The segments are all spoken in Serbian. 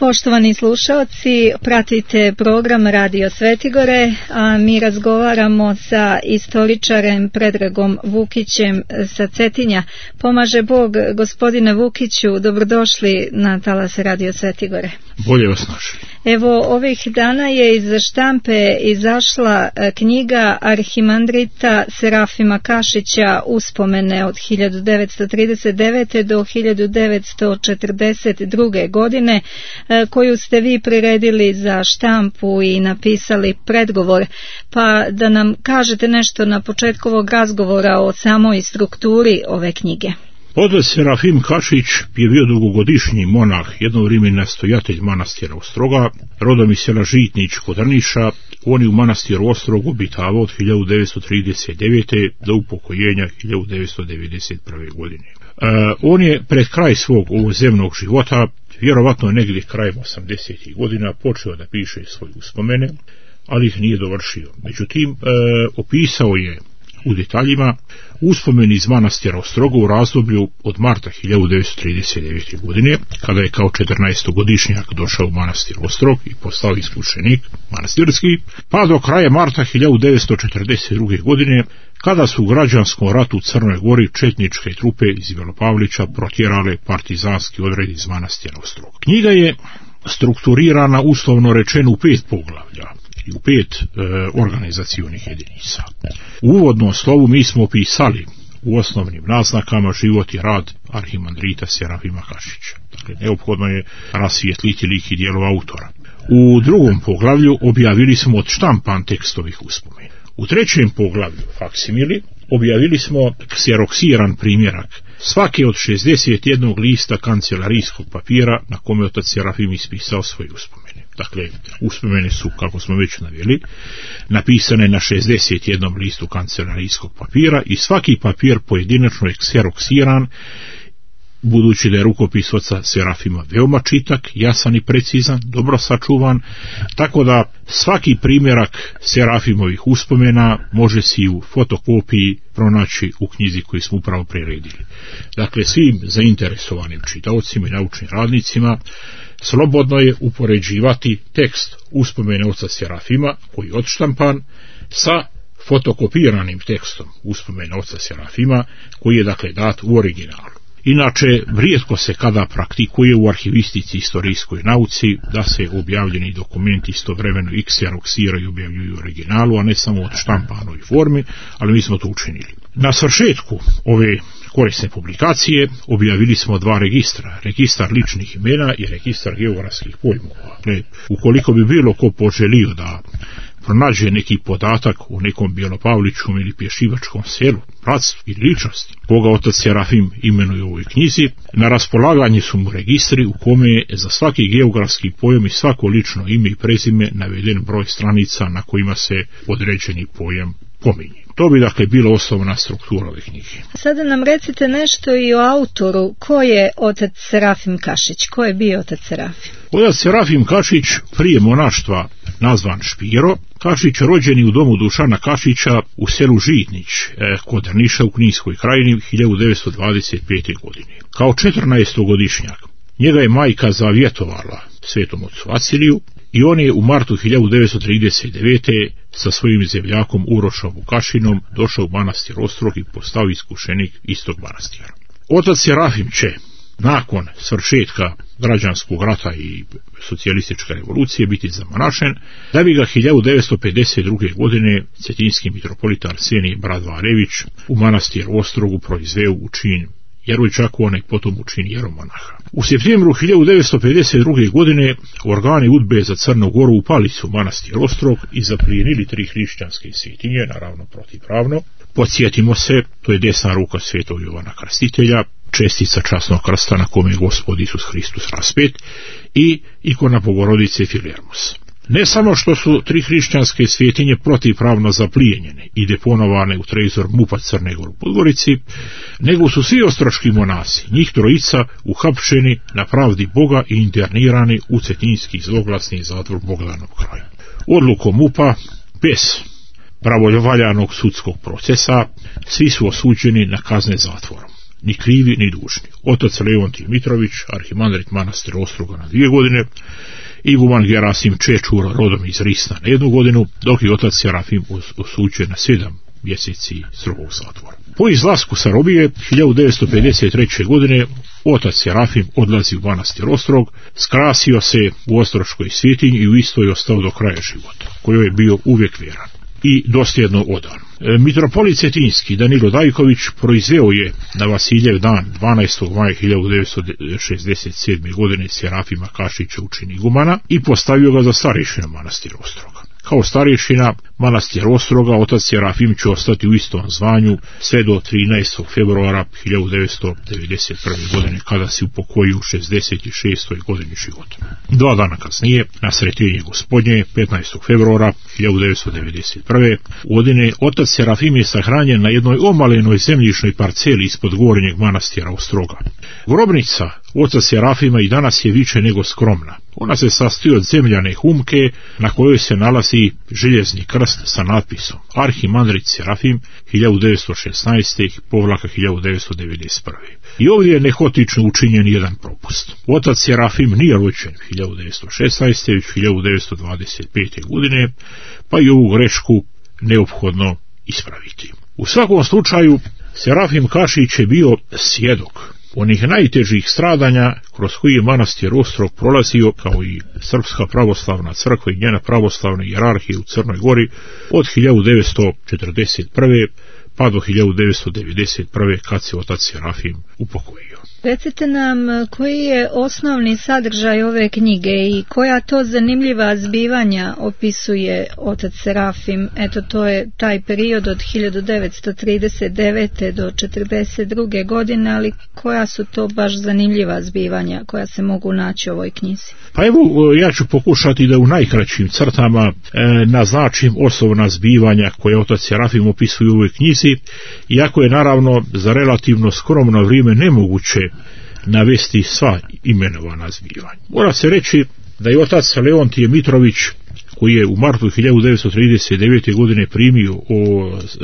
Poštovani slušaoci, pratite program Radio Svetigore, a mi razgovaramo sa istoričarem Predragom Vukićem sa Cetinja. Pomaže Bog, gospodine Vukiću, dobrodošli na talas Radio Svetigore. Bolje vas našli. Evo, ovih dana je iz štampe izašla knjiga Arhimandrita Serafima Kašića Uspomene od 1939. do 1942. godine, koju ste vi priredili za štampu i napisali predgovor. Pa da nam kažete nešto na početku ovog razgovora o samoj strukturi ove knjige. Otac Serafim Kašić je bio dugogodišnji monah, jedno vrijeme nastojatelj manastira Ostroga, rodom iz sela Žitnić kod Drniša. On je u manastiru Ostrog obitavao od 1939. do upokojenja 1991. godine. On je pred kraj svog ovozemnog života, vjerovatno negdje krajem 80. godina, počeo da piše svoje uspomene, ali ih nije dovršio. Međutim, opisao je u detaljima uspomeni iz manastira Ostroga u razdoblju od marta 1939. godine, kada je kao 14-godišnjak došao u manastir Ostrog i postao iskušenik manastirski, pa do kraja marta 1942. godine, kada su u građanskom ratu u Crnoj Gori četničke trupe iz Belopavlića protjerale partizanski odred iz manastira Ostrog. Knjiga je strukturirana, uslovno rečeno, u 5 poglavlja i u 5 organizacionih jedinica. U uvodnom slovu mi smo opisali u osnovnim naznakama život i rad Arhimandrita Serafima Kašića. Dakle, neophodno je rasvijetliti lik i djelo autora. U drugom poglavlju objavili smo odštampan tekst ovih uspomena. U trećem poglavlju, faksimili, objavili smo kseroksiran primjerak svake od 61 lista kancelarijskog papira na kome otac Serafim ispisao svoje uspomene. Dakle, uspomene su, kako smo već naveli, napisane na 61 listu kancelarijskog papira i svaki papir pojedinačno je kseroksiran, budući da je rukopis oca Serafima veoma čitak, jasan i precizan, dobro sačuvan, tako da svaki primjerak Serafimovih uspomena može si u fotokopiji pronaći u knjizi koju smo upravo priredili. Dakle, svim zainteresovanim čitaocima i naučnim radnicima slobodno je upoređivati tekst uspomene oca Serafima, koji je odštampan, sa fotokopiranim tekstom uspomene oca Serafima, koji je dakle dat u originalu. Inače, rijetko se kada praktikuje u arhivistici i istorijskoj nauci da se objavljeni dokumenti istovremeno i kseroksiraju i objavljuju u originalu, a ne samo od štampanoj formi, ali mi smo to učinili. Na svršetku ove korisne publikacije objavili smo 2 registra, registar ličnih imena i registar geografskih pojmova. Ukoliko bi bilo ko poželio da pronađe neki podatak o nekom Bjelopavličkom ili Pješivačkom selu, bratstvu ili ličnosti, koga otac Serafim imenuje u ovoj knjizi, na raspolaganje su mu registri u kome je za svaki geografski pojam i svako lično ime i prezime naveden broj stranica na kojima se određeni pojam pominje. To bi dakle bila osnovna struktura ove knjige. Sada nam recite nešto i o autoru. Ko je otac Serafim Kašić? Ko je bio otac Serafim? Otac Serafim Kašić, prije monaštva nazvan Špiro, Kašić rođeni u domu Dušana Kašića u selu Žitnić kod Drniša u Kninskoj krajini 1925. godine. Kao 14-godišnjak njega je majka zavjetovala svetom ocu Vaciliju i on je u martu 1939. sa svojim zemljakom Urošom Vukašinom došao u manastir Ostrog i postao iskušenik istog manastira. Otac Serafim će nakon svršetka građanskog rata i socijalističke revolucije biti zamonašen, da bi ga 1952. godine cetinski mitropolit Arsenij Bradvarević u manastir Ostrogu proizveo u čin jerovčakona i potom u čin jeromonaha. U septembru 1952. godine organi UDBE za Crnu Goru upali su manastir Ostrog i zaplijenili 3 hrišćanske svetinje, naravno protivpravno. Podsjetimo se, to je desna ruka svetog Jovana Krstitelja, čestica časnog krsta na kome je Gospod Isus Hristos raspet i ikona Bogorodice Filermos. Ne samo što su 3 hrišćanske svetinje protivpravno zaplijenjene i deponovane u trezor MUP-a Crne Gore u Podgorici, nego su svi ostroški monasi, njih 3, uhapšeni na pravdi Boga i internirani u cetinski zloglasni zatvor Bogdanov kraj. Odlukom MUP-a, bez pravovaljanog sudskog procesa, svi su osuđeni na kazne zatvorom. ni krivi ni dužni. Otac Leontije Mitrović, arhimandrit manastira Ostroga na 2 godine, iguman Gerasim Čečur, rodom iz Risna na 1 godinu, dok je otac Serafim osuđen na 7 mjeseci strogog zatvora. Po izlasku sa robije 1953. godine otac Serafim odlazi u manastir Ostrog, skrasio se u ostroškoj svjetinji i u istoj ostao do kraja života, kojoj je bio uvijek vjeran i dosljedno odan. Mitropolit Cetinjski Danilo Dajković proizveo je na Vasiljev dan 12. maja 1967. godine Serafima Kašića u čin igumana i postavio ga za starješina manastira Ostroga. Kao starješina manastira Ostroga otac Serafim će ostati u istom zvanju sve do 13. februara 1991. godine kada se upokojio u 66. godini života. 2 dana kasnije, na Sretenje Gospodnje, 15. februara 1991. godine, otac Serafim je sahranjen na jednoj omalenoj zemljišnoj parceli ispod gornjeg manastira Ostroga. Grobnica oca Serafima i danas je više nego skromna. Ona se sastoji od zemljane humke na kojoj se nalazi željezni krst sa natpisom Arhimandrit Serafim 1916-1991. I ovdje je nehotično učinjen jedan propust. Otac Serafim nije rođen 1916. već 1925. godine, pa i ovu grešku neophodno ispraviti. U svakom slučaju, Serafim Kašić je bio svjedok onih najtežih stradanja kroz koji je manastir Ostrog prolazio, kao i Srpska pravoslavna crkva i njena pravoslavna hijerarhija u Crnoj Gori od 1941. pa do 1991. kad se otac Serafim upokojio. Recite nam koji je osnovni sadržaj ove knjige i koja to zanimljiva zbivanja opisuje otac Serafim. Eto, to je taj period od 1939. do 1942. godine, ali koja su to baš zanimljiva zbivanja koja se mogu naći u ovoj knjizi? Pa evo, ja ću pokušati da u najkraćim crtama naznačim osnovna zbivanja koje otac Serafim opisuje u ovoj knjizi, iako je naravno za relativno skromno vrijeme nemoguće navesti sva imenovana zbivanja. Mora se reći da je otac Leontije Mitrović, koji je u martu 1939. godine primio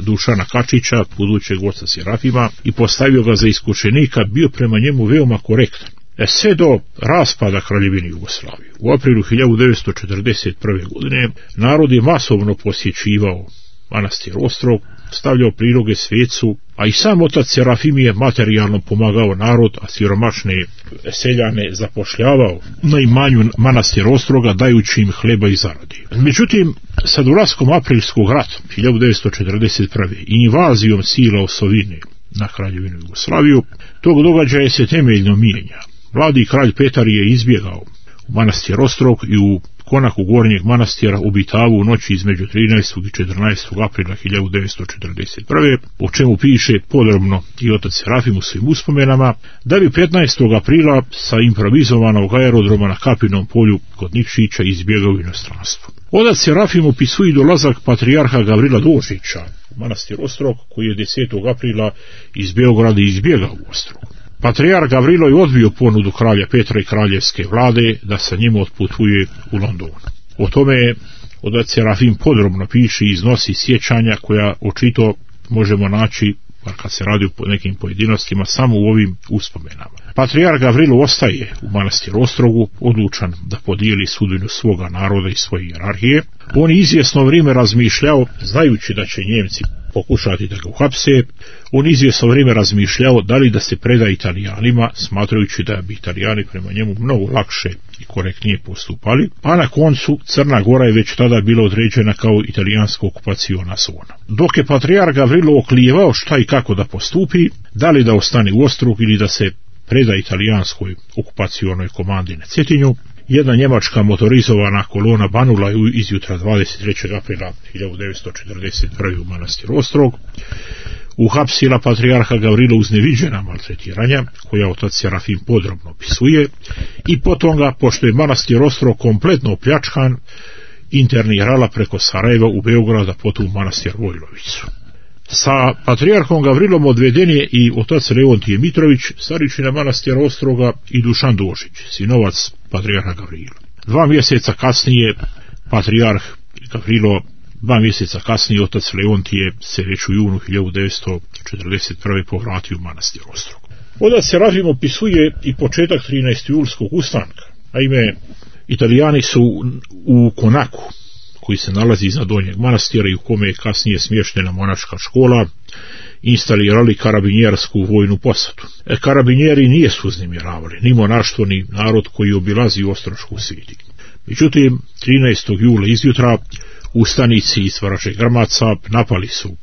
Dušana Kačića, budućeg oca Serafima, i postavio ga za iskušenika, bio prema njemu veoma korektan. Sve do raspada Kraljevine Jugoslavije. U aprilu 1941. godine narod je masovno posjećivao manastir Ostrog, stavljao priloge svecu, a i sam otac Serafim je materijalno pomagao narod, a siromašne seljane zapošljavao na imanju manastira Ostroga, dajući im hleba i zaradi. Međutim, sa dolaskom aprilskog rata 1941. i invazijom sila osovine na Kraljevinu Jugoslaviju, tog događaja se temeljno mijenja. Mladi kralj Petar je izbjegao u manastir Ostrog i u konaku gornjeg manastira obitavu u noći između 13. i 14. aprila 1941. o čemu piše podrobno i otac Serafim u svim uspomenama, da bi 15. aprila sa improvizovanog aerodroma na Kapinom polju kod Nikšića izbjegao u inostranstvo. Otac Serafim opisuje dolazak patrijarha Gavrila Dožića u manastir Ostrog, koji je 10. aprila iz Beograda izbjegao u Ostrog. Patrijarh Gavrilo je odbio ponudu kralja Petra i kraljevske vlade da sa njim otputuje u London. O tome otac Serafim podrobno piše i iznosi sjećanja koja očito možemo naći, bar kad se radi o nekim pojedinostima, samo u ovim uspomenama. Patrijarh Gavrilo ostaje u manastiru Ostrogu, odlučan da podijeli sudbinu svoga naroda i svoje hijerarhije. On je izvjesno vrijeme razmišljao, znajući da će Njemci pokušati da ga uhapse, on izvjesno vrijeme razmišljao da li da se preda Italijanima, smatrajući da bi Italijani prema njemu mnogo lakše i korektnije postupali, a na koncu Crna Gora je već tada bila određena kao italijanska okupaciona zona. Dok je patrijarh Gavrilo oklijevao šta i kako da postupi, da li da ostane u Ostrog ili da se preda italijanskoj okupacionoj komandi na Cetinju, jedna njemačka motorizovana kolona banula iz jutra 23. aprila 1941. u manastir Ostrog, uhapsila patrijarha Gavrilo uz neviđena maltretiranja, koja otac Serafim podrobno opisuje, i potom ga, pošto je manastir Ostrog kompletno opljačkan, internirala preko Sarajeva u Beograda, potom u manastir Vojlovicu. Sa patrijarhom Gavrilom odveden je i otac Leontije Mitrović, starješina manastira Ostroga, i Dušan Dožić, sinovac patrijarha Gavrila. 2 mjeseca kasnije patrijarh Gavrilo 2 mjeseca kasnije otac Leontije se već u junu 1941. povratio u manastir Ostrog. Otac Serafim opisuje i početak 13. julskog ustanka. Naime, Italijani su u Konaku, koji se nalazi iznad Donjeg manastira i u kome je kasnije smještena monaška škola, instalirali karabinjersku vojnu posadu. Karabinjeri nisu uznemiravali ni monaštvo ni narod koji obilazi Ostrošku svetišnju. Međutim, 13. jula izjutra ustanici iz Vraže Grmaca napali su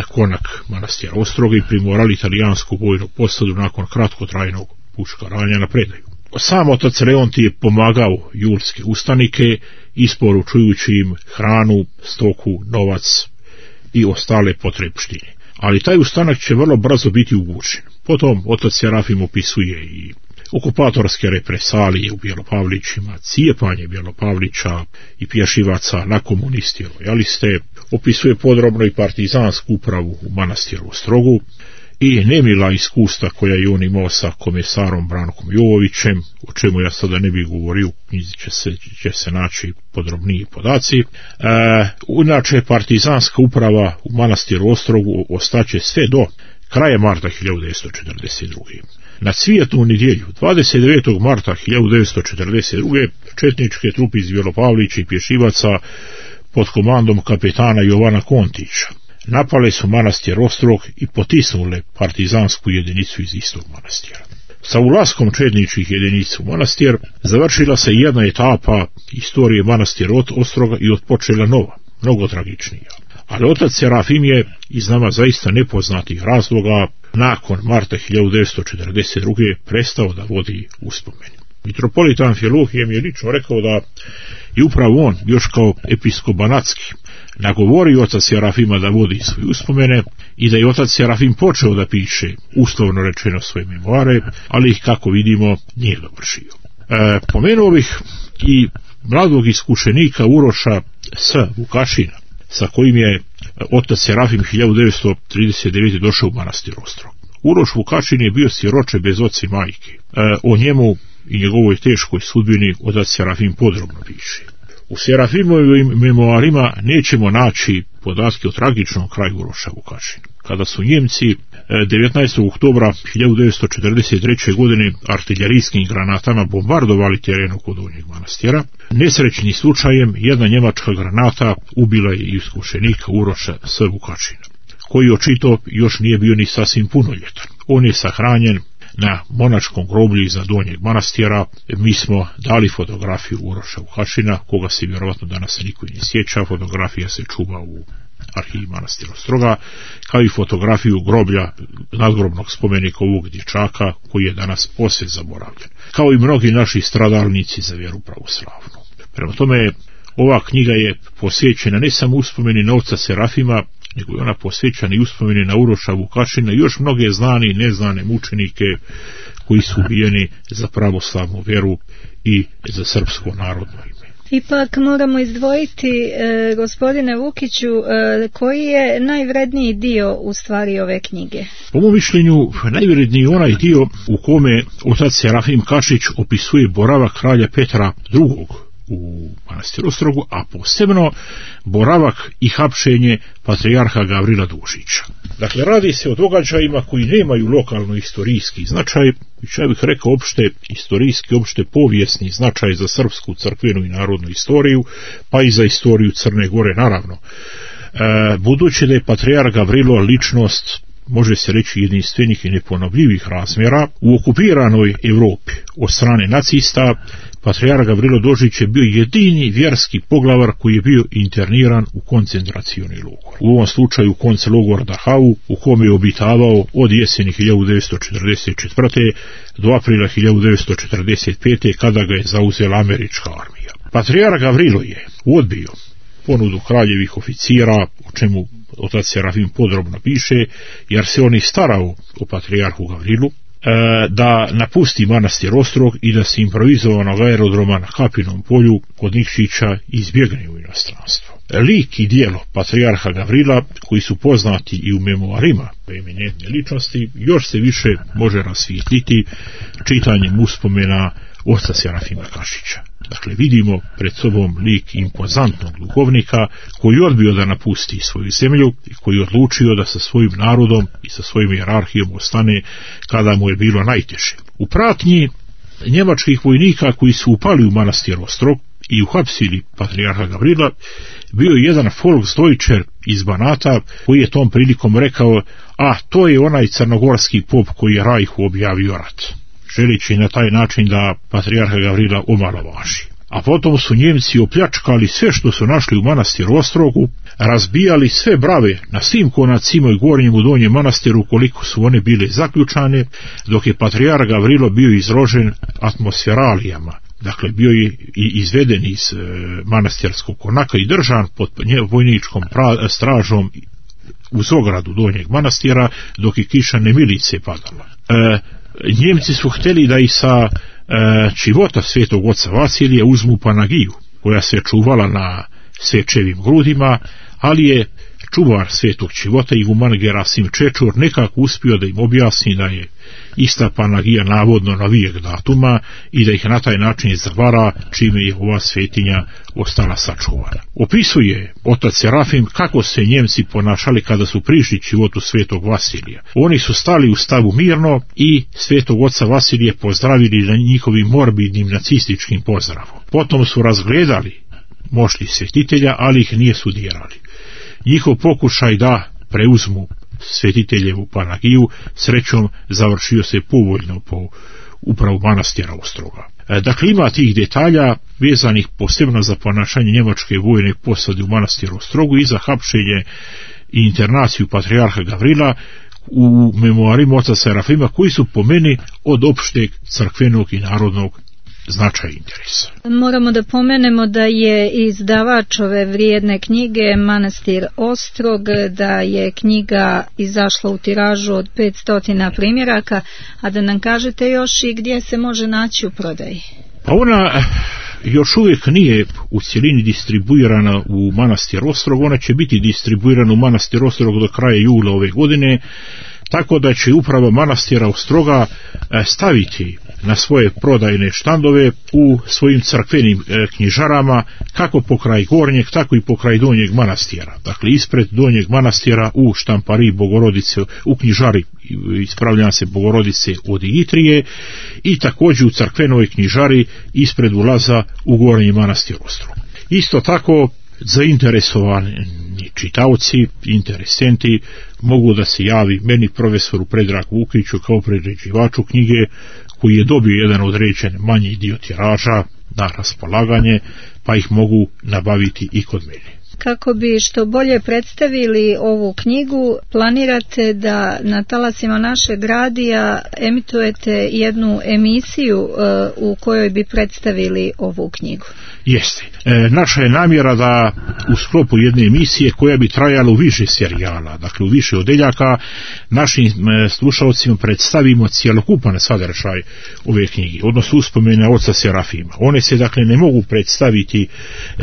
Konak manastira Ostroga i primorali italijansku vojnu posadu nakon kratkotrajnog puškaranja na predaju. Sam otac Leontije je pomagao julske ustanike, isporučujući im hranu, stoku, novac i ostale potrebštine. Ali taj ustanak će vrlo brzo biti ugušen. Potom otac Serafim opisuje i okupatorske represalije u Bjelopavlićima, cijepanje Bjelopavlića i pješivaca na komunisti i lojaliste, opisuje podrobno i partizansku upravu u manastiru Ostrogu i nemila iskustva koja je on imao sa komesarom Brankom Jovovićem, o čemu ja sada ne bih govorio, u knjizi će se naći podrobniji podaci. Inače, partizanska uprava u manastiru Ostrogu ostaće sve do kraja marta 1942. Na Cvijetnu nedjelju, 29. marta 1942. četničke trupe iz Bjelopavlića i pješivaca pod komandom kapetana Jovana Kontića napale su manastir Ostrog i potisnule partizansku jedinicu iz istog manastira. Sa ulaskom četničkih jedinica u manastir završila se jedna etapa istorije manastira Ostroga i otpočela nova, mnogo tragičnija. Ali otac Serafim je iz nama zaista nepoznatih razloga nakon marta 1942. prestao da vodi uspomene. Mitropolit Amfilohije mi je lično rekao da je upravo on, još kao episkop Banatski, nagovorio oca Serafima da vodi svoje uspomene i da je otac Serafim počeo da piše, uslovno rečeno, svoje memoare, ali ih, kako vidimo, nije dovršio. Pomenuo bih i mladog iskušenika Uroša S. Vukašina, sa kojim je otac Serafim 1939. došao u manastir Ostrog. Uroš Vukašin je bio siroče bez oca i majke. O njemu i njegovoj teškoj sudbini otac Serafim podrobno piše. U Serafimovim memoarima nećemo naći podatke o tragičnom kraju Uroša Vukašina. Kada su Njemci 19. oktobra 1943. godine artiljerijskim granatama bombardovali teren oko Donjeg manastira, nesrećnim slučajem jedna njemačka granata ubila je iskušenika Uroša S. Vukašina, koji očito još nije bio ni sasvim punoljetan. On je sahranjen na monačkom groblju iza Donjeg manastira. Mi smo dali fotografiju Uroša Vukašina, koga se vjerovatno danas niko ne sjeća. Fotografija se čuva u arhivi manastira Ostroga, kao i fotografiju groblja, nadgrobnog spomenika ovog dječaka, koji je danas posve zaboravljen, kao i mnogi naši stradalnici za vjeru pravoslavnu. Prema tome, ova knjiga je posvećena ne samo uspomeni na oca Serafima, nego je ona posvećena i uspomeni na Uroša Vukašina i još mnoge znane i neznane mučenike koji su ubijeni za pravoslavnu vjeru i za srpsko narodno ime. Ipak moramo izdvojiti, gospodine Vukiću, koji je najvredniji dio u stvari ove knjige? Po mom mišljenju, najvredniji je onaj dio u kome otac Serafim Kašić opisuje boravak kralja Petra II. U manastiru Ostrogu, a posebno boravak i hapšenje patrijarha Gavrila Dužića. Dakle, radi se o događajima koji nemaju lokalno istorijski značaj, već ja bih rekao opšte istorijski, opšte povijesni značaj za srpsku crkvenu i narodnu istoriju, pa i za istoriju Crne Gore, naravno. Budući da je patrijarh Gavrilo ličnost, može se reći, jedinstvenih i neponovljivih razmjera, u okupiranoj Evropi od strane nacista, patrijarh Gavrilo Dožić je bio jedini vjerski poglavar koji je bio interniran u koncentracioni logor. U ovom slučaju koncelogor Dachau, u kome je obitavao od jeseni 1944. do aprila 1945. kada ga je zauzela američka armija. Patrijarh Gavrilo je odbio ponudu kraljevih oficira, o čemu otac Serafim podrobno piše, jer se on i starao o patrijarhu Gavrilu, da napusti manastir Ostrog i da se improvizovanog aerodroma na Kapinom polju kod Nikšića izbjegne u inostranstvo. Lik i dijelo patrijarha Gavrila, koji su poznati i u memoarima eminentne ličnosti, još se više može rasvijetliti čitanjem uspomena oca Serafima Kašića. Dakle, vidimo pred sobom lik impozantnog duhovnika koji je odbio da napusti svoju zemlju i koji je odlučio da sa svojim narodom i sa svojim hijerarhijom ostane kada mu je bilo najteže. U pratnji njemačkih vojnika koji su upali u manastir Ostrog i uhapsili patrijarha Gavrila bio je jedan Volksdeutscher iz Banata koji je tom prilikom rekao: a to je onaj crnogorski pop koji je Rajhu objavio rat, želeći na taj način da patrijarha Gavrila omalovaži. A potom su Njemci opljačkali sve što su našli u manastiru Ostrogu, razbijali sve brave na svim konacima i gornjem u donjem manastiru koliko su one bile zaključane, dok je patrijarh Gavrilo bio izložen atmosferalijama. Dakle, bio je i izveden iz manastirskog konaka i držan pod vojničkom stražom uz ogradu donjeg manastira, dok je kiša nemilice padala. Njemci su htjeli da i sa čivota svetog oca Vasilija uzmu Panagiju, koja se čuvala na svečevim grudima, ali je čuvar svetog čivota iguman Gerasim Čečor nekako uspio da im objasni da je ista Panagija navodno novijeg datuma i da ih na taj način zavara, čime je ova svetinja ostala sačuvana. Opisuje otac Serafim kako se Njemci ponašali kada su prišli čivotu svetog Vasilija. Oni su stali u stavu mirno i svetog oca Vasilija pozdravili na njihovim morbidnim nacističkim pozdravom. Potom su razgledali mošti svetitelja, ali ih nije dirali. Njihov pokušaj da preuzmu svetiteljevu Panagiju srećom završio se povoljno po upravu manastira Ostroga. Dakle, ima tih detalja vezanih posebno za ponašanje njemačke vojne posade u manastiru Ostrogu i za hapšenje i internaciju patrijarha Gavrila u memoarima oca Serafima, koji su po meni od opšteg crkvenog i narodnog značaj interesa. Moramo da pomenemo da je izdavač ove vrijedne knjige Manastir Ostrog, da je knjiga izašla u tiražu od 500 primjeraka, a da nam kažete još i gdje se može naći u prodaji. Pa ona još uvijek nije u cjelini distribuirana u Manastir Ostrog, ona će biti distribuirana u Manastir Ostrog do kraja jula ove godine, tako da će uprava manastira Ostroga staviti na svoje prodajne štandove u svojim crkvenim knjižarama, kako pokraj gornjeg, tako i pokraj donjeg manastira. Dakle, ispred donjeg manastira u štampariji Bogorodice, u knjižari, ispravljam se, Bogorodice od Itrije, i također u crkvenoj knjižari ispred ulaza u gornji manastir Ostrog. Isto tako, zainteresovani čitaoci, interesenti mogu da se javi meni, profesoru Predragu Vukiću, kao priređivaču knjige, koji je dobio jedan određen manji dio tiraža na raspolaganje, pa ih mogu nabaviti i kod mene. Kako bi što bolje predstavili ovu knjigu, planirate da na talasima našeg radija emitujete jednu emisiju u kojoj bi predstavili ovu knjigu? Jeste. Naša je namjera da u sklopu jedne emisije koja bi trajala u više serijala, dakle u više odeljaka, našim slušalcima predstavimo cjelokupan sadržaj ove knjige, odnosno uspomene oca Serafima. One se dakle ne mogu predstaviti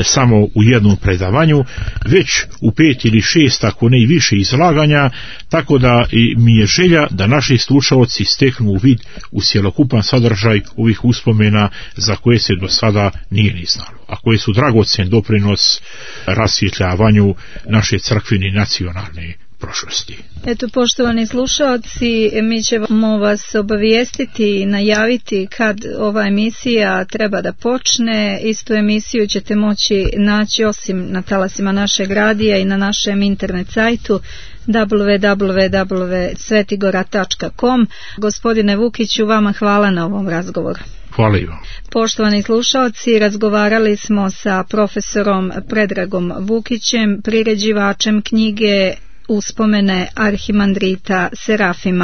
samo u jednom predavanju, već u 5 ili 6, ako ne i više izlaganja, tako da mi je želja da naši slušalci steknu uvid u cjelokupan sadržaj ovih uspomena za koje se do sada nije ni znalo, a koje su dragocen doprinos rasvjetljavanju naše crkvene nacionalne prošlosti. Eto, poštovani slušalci, mi ćemo vas obavijestiti i najaviti kad ova emisija treba da počne. Istu emisiju ćete moći naći osim na talasima našeg radija i na našem internet sajtu www.svetigora.com. Gospodine Vukiću, vama hvala na ovom razgovoru. Hvala i vam. Poštovani slušalci, razgovarali smo sa profesorom Predragom Vukićem, priređivačem knjige Uspomene arhimandrita Serafima.